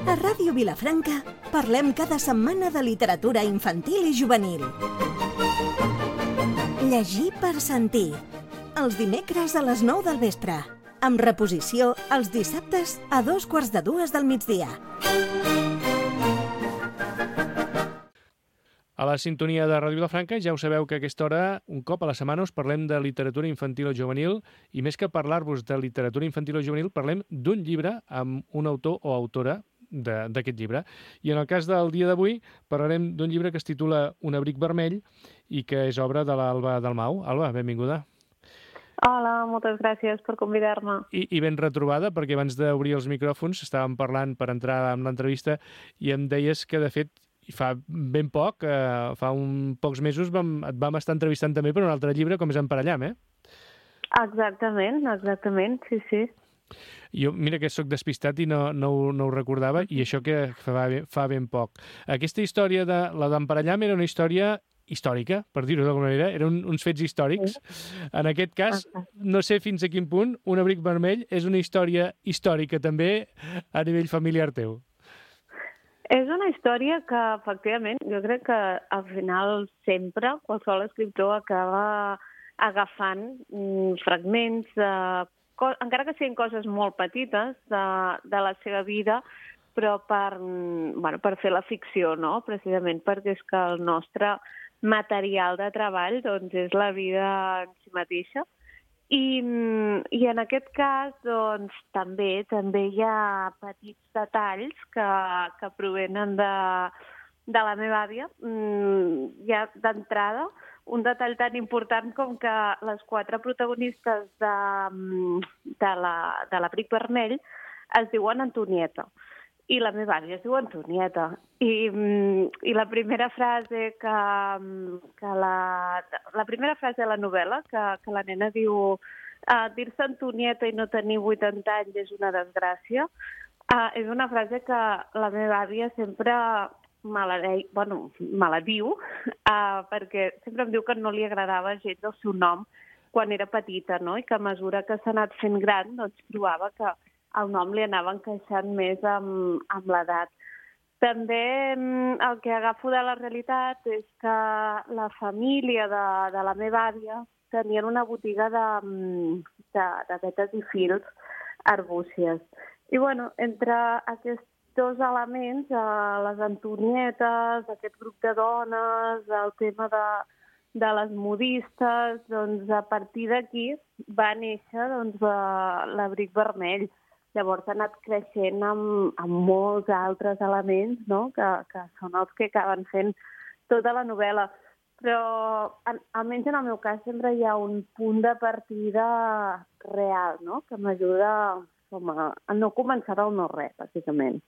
A Ràdio Vilafranca parlem cada setmana de literatura infantil i juvenil. Llegir per sentir. Els dimecres a les 9 del vespre. Amb reposició els dissabtes a 2:45 del migdia. A la sintonia de Ràdio Vilafranca ja ho sabeu que a aquesta hora, un cop a la setmana, us parlem de literatura infantil o juvenil i més que parlar-vos de literatura infantil o juvenil, parlem d'un llibre amb un autor o autora d'aquest llibre. I en el cas del dia d'avui parlarem d'un llibre que es titula Un abric vermell i que és obra de l'Alba Dalmau. Alba, benvinguda. Hola, moltes gràcies per convidar-me. I ben retrobada, perquè abans d'obrir els micròfons estàvem parlant per entrar en l'entrevista i em deies que, de fet, fa ben poc, fa pocs mesos, et vam estar entrevistant també per un altre llibre, com és Emparellam, eh? Exactament, sí. Jo, mira que sóc despistat i no ho recordava, i això que fa ben poc. Aquesta història de la d'Emparellam era una història històrica, per dir-ho d'alguna manera, eren uns fets històrics. Sí. En aquest cas, no sé fins a quin punt un abric vermell és una història històrica també a nivell familiar teu. És una història que, efectivament, jo crec que al final sempre qualsevol escriptor acaba agafant fragments, encara que siguin coses molt petites de la seva vida, però per fer la ficció, no? Precisament perquè és que el nostre material de treball doncs, és la vida en si mateixa. I en aquest cas doncs, també hi ha petits detalls que provenen de la meva àvia. Ja d'entrada, un detall tan important com que les 4 protagonistes de l'Abric Vermell es diuen Antonieta. I la meva àvia es diu Antonieta. I la primera frase la primera frase de la novel·la, que la nena diu dir-se Antonieta i no tenir 80 anys és una desgràcia, és una frase que la meva àvia sempre me la diu, perquè sempre em diu que no li agradava gens el seu nom quan era petita, no? I que a mesura que s'ha anat fent gran, doncs trobava que el nom li anava encaixant més amb l'edat. També el que agafo de la realitat és que la família de la meva àvia tenien una botiga de vetes i fils arbúcies. I, entre aquests 2 elements, les Antonietes, aquest grup de dones, el tema de les modistes, doncs a partir d'aquí va néixer l'Abric Vermell. Llavors ha anat creixent amb molts altres elements, no? que són els que acaben fent tota la novel·la. Però, almenys en el meu cas, sempre hi ha un punt de partida real, no? Que m'ajuda a no començar del no-res, bàsicament.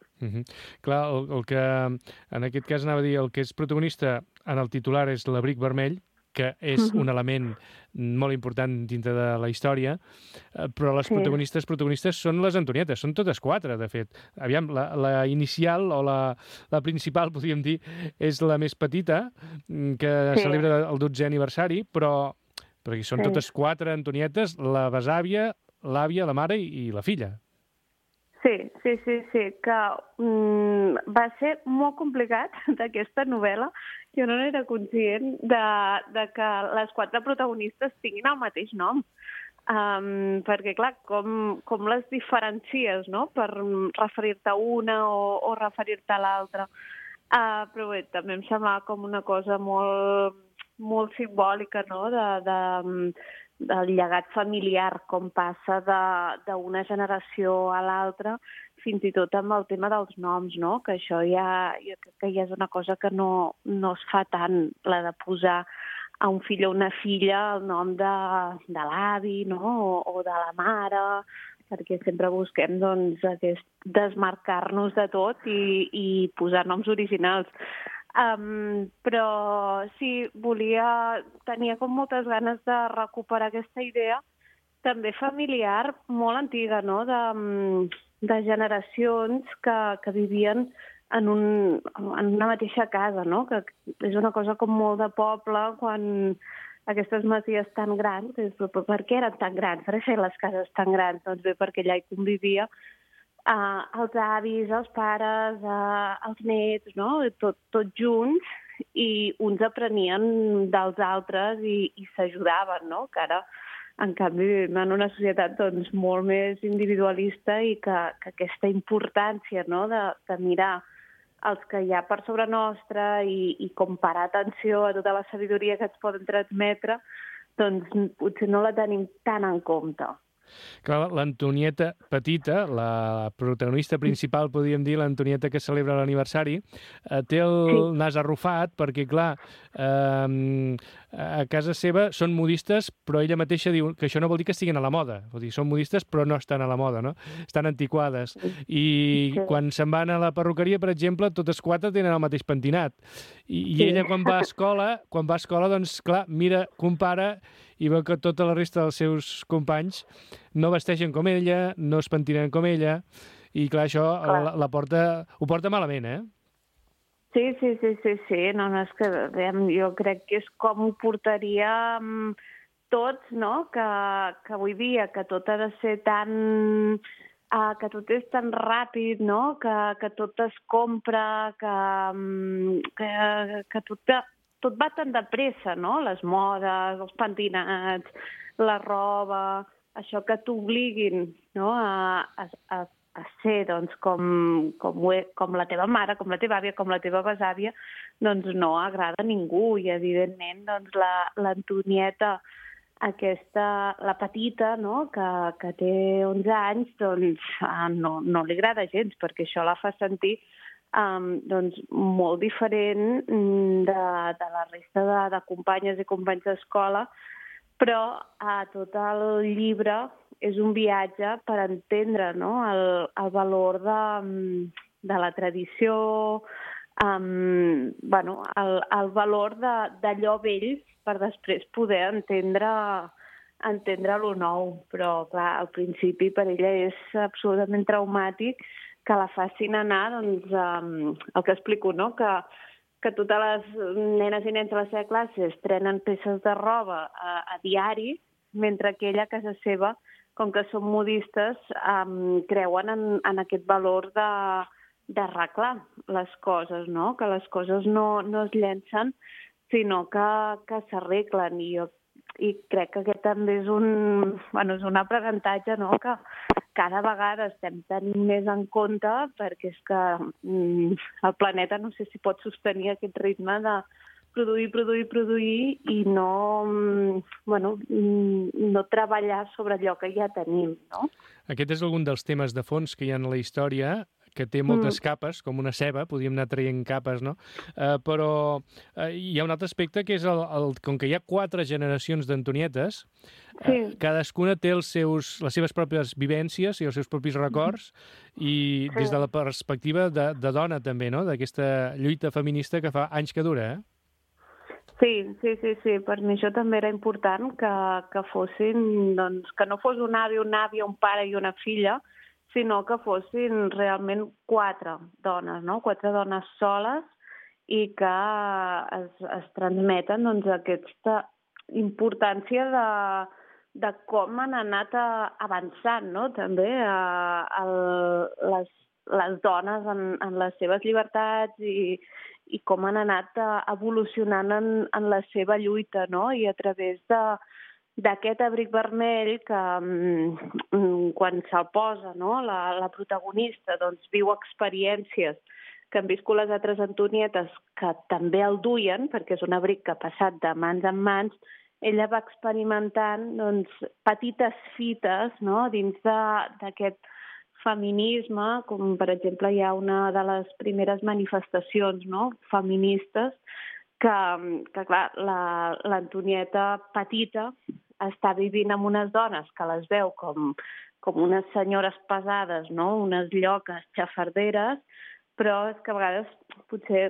Clar, el que en aquest cas anava a dir, el que és protagonista en el titular és l'Abric Vermell, que és un element molt important dintre de la història, però les protagonistes són les Antonietes, són totes 4, de fet. Aviam, la inicial o la principal, podríem dir, és la més petita, que celebra el 12è aniversari, perquè són totes 4 Antonietes, la besàvia, l'àvia, la mare i la filla. Sí, que va ser molt complicat d'aquesta novel·la. Jo no era conscient de que les 4 protagonistes tinguin el mateix nom. Perquè, clar, com les diferencies, no?, per referir-te a una o referir-te a l'altra. Però bé, també em semblava com una cosa molt, molt simbòlica, no?, del llegat familiar, com passa d'una generació a l'altra, fins i tot amb el tema dels noms, no? Que això jo crec que ja és una cosa que no es fa tant, la de posar a un fill o una filla el nom de l'avi, no? O de la mare, perquè sempre busquem doncs, desmarcar-nos de tot i posar noms originals. Però sí, tenia com moltes ganes de recuperar aquesta idea, també familiar, molt antiga, no?, de generacions que vivien en una mateixa casa, no?, que és una cosa com molt de poble, quan aquestes masies tan grans, però per què eren tan grans? Per què feien les cases tan grans? Doncs bé, perquè allà hi convivia els avis, els pares, els nets, no? Tot junts, i uns aprenien dels altres i s'ajudaven, no? Que ara, en canvi, vivim en una societat doncs, molt més individualista i que aquesta importància, no? de mirar els que hi ha per sobre nostra i comparar atenció a tota la sabidoria que ens poden transmetre, doncs potser no la tenim tan en compte. Clar, l'Antonieta petita, la protagonista principal, podríem dir, l'Antonieta que celebra l'aniversari, té el nas arrufat perquè, clar, a casa seva són modistes, però ella mateixa diu que això no vol dir que estiguin a la moda. Vol dir, són modistes però no estan a la moda, no? Estan antiquades. I quan se'n van a la perruqueria, per exemple, totes quatre tenen el mateix pentinat. I ella, quan va a escola, doncs, clar, mira, compara i veu que tota la resta dels seus companys no vesteixen com ella, no es pentinen com ella, i clar, això ho porta malament, eh? Sí. No, és que jo crec que és com ho portaríem tots, no? Que avui dia, que tot ha de ser tan... que tot és tan ràpid, no? Que tot es compra, que tot va tan de pressa, no? Les modes, els pentinats, la roba, això que t'obliguin, no? a ser doncs, com la teva mare, com la teva àvia, com la teva besàvia, doncs no agrada a ningú. I, evidentment, doncs, l'Antonieta, aquesta, la petita, no? que té 11 anys, doncs no li agrada gens, perquè això la fa sentir doncs, molt diferent de la resta de companyes i companys d'escola, però tot el llibre és un viatge per entendre, no? el valor de la tradició, el valor d'allò vell per després poder entendre lo nou. Però, clar, al principi per ella és absolutament traumàtic que la facin anar, doncs, el que explico, no? Que totes les nenes i nens de la seva classe estrenen peces de roba a diari, mentre que ella a casa seva, com que són modistes, creuen en aquest valor d'arreglar les coses, no? Que les coses no es llencen, sinó que s'arreglen. I crec que aquest també és és un aprenentatge, no? Que cada vegada estem tenint més en compte, perquè és que el planeta no sé si pot sostenir aquest ritme de produir i no treballar sobre allò que ja tenim, no? Aquest és algun dels temes de fons que hi ha en la història, que té moltes capes, com una ceba, podríem anar traient capes, no? Però hi ha un altre aspecte que és com que hi ha 4 generacions d'Antonietes, cadascuna té les seves pròpies vivències i els seus propis records, i des de la perspectiva de dona també, no? D'aquesta lluita feminista que fa anys que dura, eh? Sí. Per mi això també era important, que fossin, doncs, que no fos un avi, una àvia, un pare i una filla, sinó que fossin realment 4 dones, no? 4 dones soles, i que es transmeten, doncs, aquesta importància de com han anat avançant, no? També les dones en les seves llibertats i com han anat evolucionant en la seva lluita, no? I a través d'aquest abric vermell que quan se'l posa, no? la protagonista, doncs, viu experiències que han viscut les altres Antonietes, que també el duien, perquè és un abric que ha passat de mans en mans. Ella va experimentant, doncs, petites fites, no? Dins d'aquest feminisme, com per exemple hi ha una de les primeres manifestacions, no? Feministes, que clar, l'Antonieta petita està vivint amb unes dones que les veu com unes senyores pesades, no? Unes lloques xafarderes, però és que a vegades potser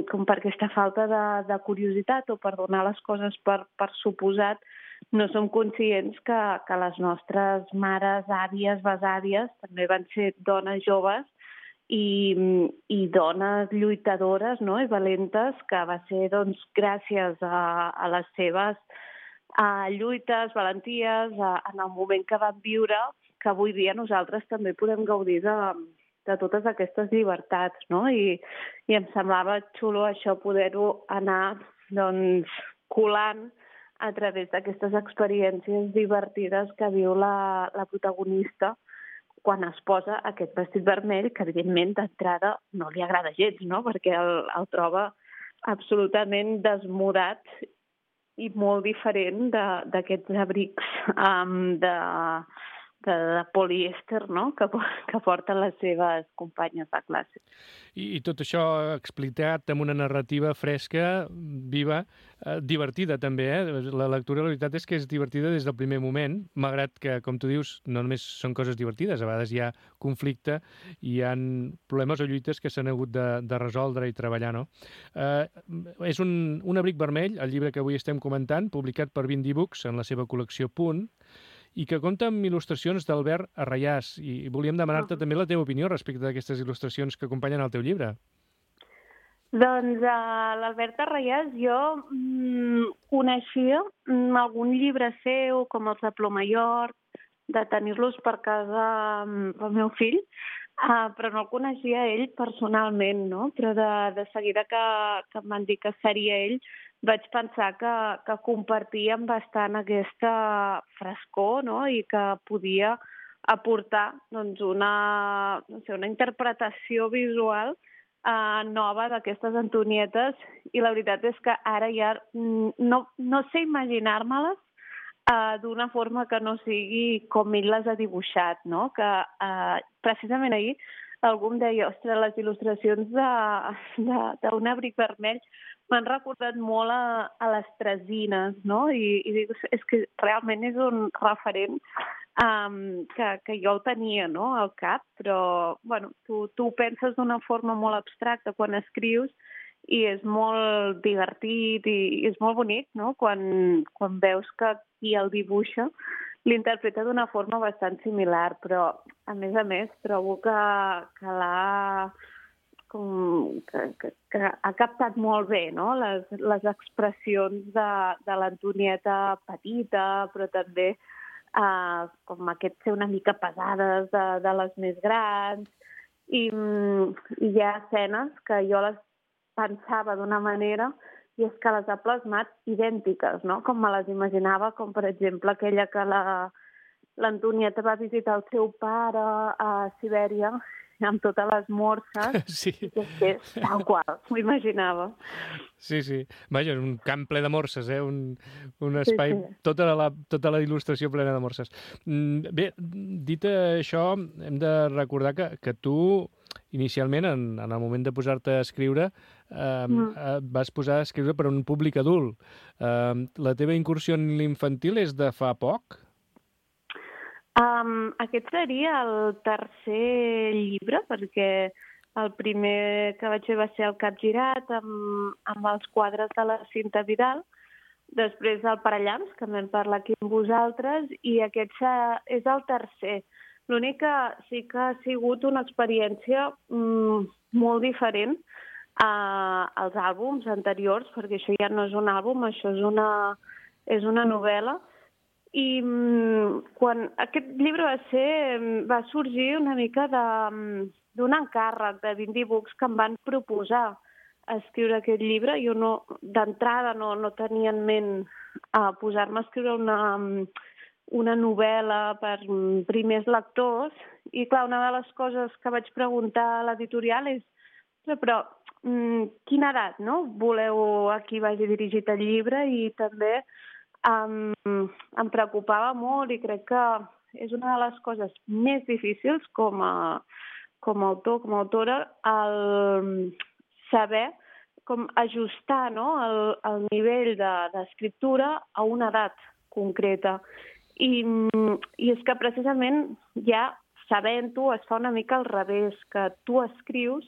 com per aquesta falta de curiositat o per donar les coses per suposat, no som conscients que les nostres mares, àvies, besàvies també van ser dones joves i dones lluitadores, no? I valentes, que va ser doncs, gràcies a les seves lluites, valenties, en el moment que van viure, que avui dia nosaltres també podem gaudir de totes aquestes llibertats, no? I em semblava xulo això, poder-ho anar doncs, colant a través d'aquestes experiències divertides que viu la protagonista quan es posa aquest vestit vermell, que evidentment d'entrada no li agrada gens, no? Perquè el troba absolutament desmodat i molt diferent d'aquests abrics de polièster, no? que porten les seves companyes de classe. I tot això explicat amb una narrativa fresca, viva, divertida també, La lectura, la veritat és que és divertida des del primer moment, malgrat que, com tu dius, no només són coses divertides, a vegades hi ha conflicte i hi ha problemes o lluites que s'han hagut de resoldre i treballar, no? És un abric vermell, el llibre que avui estem comentant, publicat per Vindi Books en la seva col·lecció Punt, i que compta amb il·lustracions d'Albert Arrayàs. I volíem demanar-te també la teva opinió respecte d'aquestes il·lustracions que acompanyen el teu llibre. Doncs l'Albert Arrayàs jo coneixia algun llibre seu, com els de Plomayork, de tenir-los per casa pel meu fill, però no el coneixia ell personalment, no? Però de seguida que em van dir que seria ell, vaig pensar que compartíem bastant aquesta frescor, no? I que podia aportar doncs, una interpretació visual nova d'aquestes Antonietes, i la veritat és que ara ja no sé imaginar-me-les d'una forma que no sigui com ell les ha dibuixat, no? Que precisament ahir algú em deia, ostres, les il·lustracions d'un abric vermell m'han recordat molt a les Tresines, no? I dic, és que realment és un referent que jo el tenia, no?, al cap, però bueno, tu ho penses d'una forma molt abstracta quan escrius i és molt divertit i és molt bonic, no?, quan veus que qui el dibuixa l'interpreta d'una forma bastant similar, però a més trobo que l'ha que ha captat molt bé, no?, les expressions de l'Antonieta petita, però també com aquest ser una mica pesades de les més grans, i hi ha escenes que jo les pensava d'una manera i és que les ha plasmat idèntiques, no?, com me les imaginava, com per exemple aquella que l'Antonieta va visitar el seu pare a Sibèria amb totes les morses, sí. Que és tal qual, m'ho imaginava. Sí. Vaja, un camp ple de morses, un espai, sí. Tota la il·lustració plena de morses. Bé, dit això, hem de recordar que tu, inicialment, en el moment de posar-te a escriure, vas posar a escriure per a un públic adult. La teva incursió en l'infantil és de fa poc? Aquest seria el tercer llibre, perquè el primer que vaig fer va ser el Capgirat, amb els quadres de la Cinta Vidal, després el Parellams, que en vam parlar aquí amb vosaltres, i aquest és el tercer. L'únic que sí que ha sigut una experiència molt diferent als àlbums anteriors, perquè això ja no és un àlbum, això és una novel·la. I quan aquest llibre va sorgir una mica d'un encàrrec de Vindi Books que em van proposar escriure aquest llibre. Jo d'entrada no tenia en ment posar-me a escriure una novel·la per primers lectors, i clar, una de les coses que vaig preguntar a l'editorial és però quina edat, no?, voleu a qui vagi dirigit el llibre? I també em preocupava molt, i crec que és una de les coses més difícils com a autor, com a autora, el saber com ajustar, no?, el nivell d'escriptura a una edat concreta. I és que precisament ja sabent-ho es fa una mica al revés, que tu escrius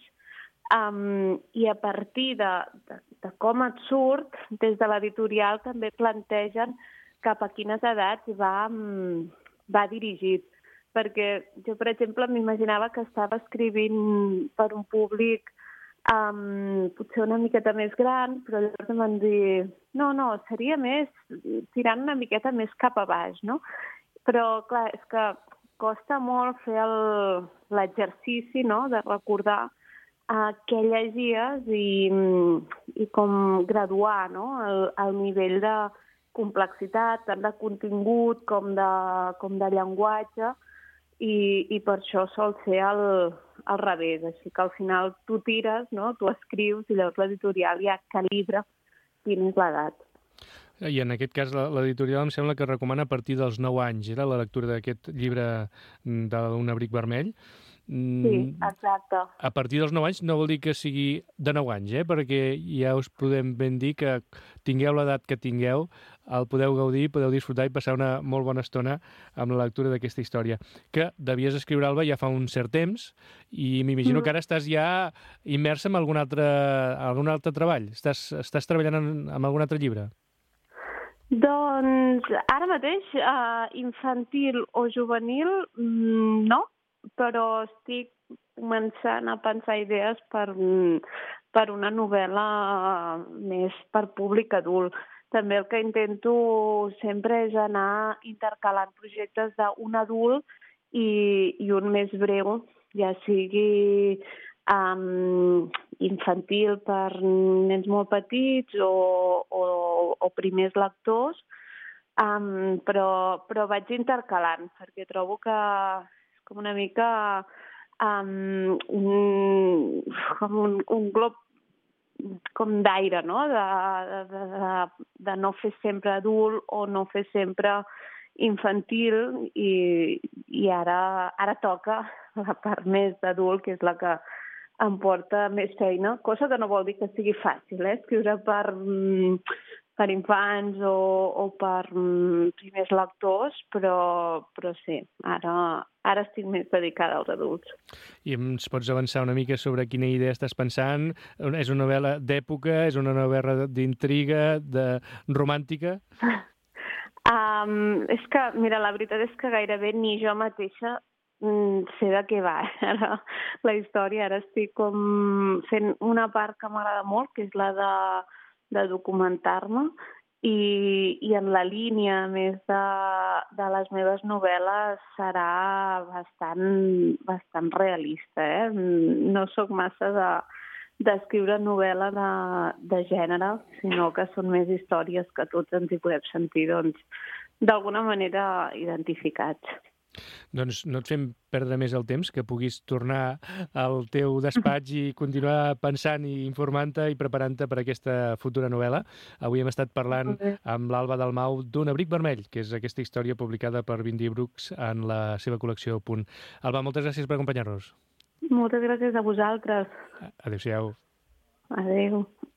i a partir de com et surt, des de l'editorial també plantegen cap a quines edats va dirigit. Perquè jo, per exemple, m'imaginava que estava escrivint per un públic potser una miqueta més gran, però llavors em van dir no, seria més tirant una miqueta més cap a baix, no? Però, clar, és que costa molt fer l'exercici, no?, de recordar què llegies i com graduar, no?, el nivell de complexitat, tant de contingut com de llenguatge, i per això sol ser al revés. Així que al final tu tires, no?, tu escrius i llavors l'editorial ja calibra quina és l'edat. I en aquest cas l'editorial em sembla que recomana a partir dels 9 anys, era la lectura d'aquest llibre d'un abric vermell. Sí, exacte. A partir dels 9 anys no vol dir que sigui de 9 anys, perquè ja us podem ben dir que tingueu l'edat que tingueu, el podeu gaudir, podeu disfrutar i passar una molt bona estona amb la lectura d'aquesta història, que devies escriure, Alba, ja fa un cert temps, i m'imagino que ara estàs ja immersa en algun altre treball. Estàs treballant en algun altre llibre? Doncs ara mateix, infantil o juvenil, no, però estic començant a pensar idees per una novel·la més per públic adult. També el que intento sempre és anar intercalant projectes d'un adult i un més breu, ja sigui infantil per nens molt petits o primers lectors, però vaig intercalant, perquè trobo que és com una mica un glob com d'aire, no?, de no fer sempre adult o no fer sempre infantil, i ara toca la part més d'adult, que és la que em porta més feina, cosa que no vol dir que sigui fàcil, escriure per infants o per primers lectors, però sí, ara estic més dedicada als adults. I ens pots avançar una mica sobre quina idea estàs pensant? És una novel·la d'època? És una novel·la d'intriga, romàntica? És que, mira, la veritat és que gairebé ni jo mateixa sé de què va ara la història. Ara estic com fent una part que m'agrada molt, que és la de documentar-me, i en la línia més de les meves novel·les serà bastant realista. No sóc massa d'escriure novel·la de gènere, sinó que són més històries que tots ens hi podem sentir, doncs, d'alguna manera identificats. Doncs no et fem perdre més el temps, que puguis tornar al teu despatx i continuar pensant i informant-te i preparant-te per aquesta futura novel·la. Avui hem estat parlant amb l'Alba Dalmau d'un abric vermell, que és aquesta història publicada per Bindi Brooks en la seva col·lecció Punt. Alba, moltes gràcies per acompanyar-nos. Moltes gràcies a vosaltres. Adéu-siau. Adéu.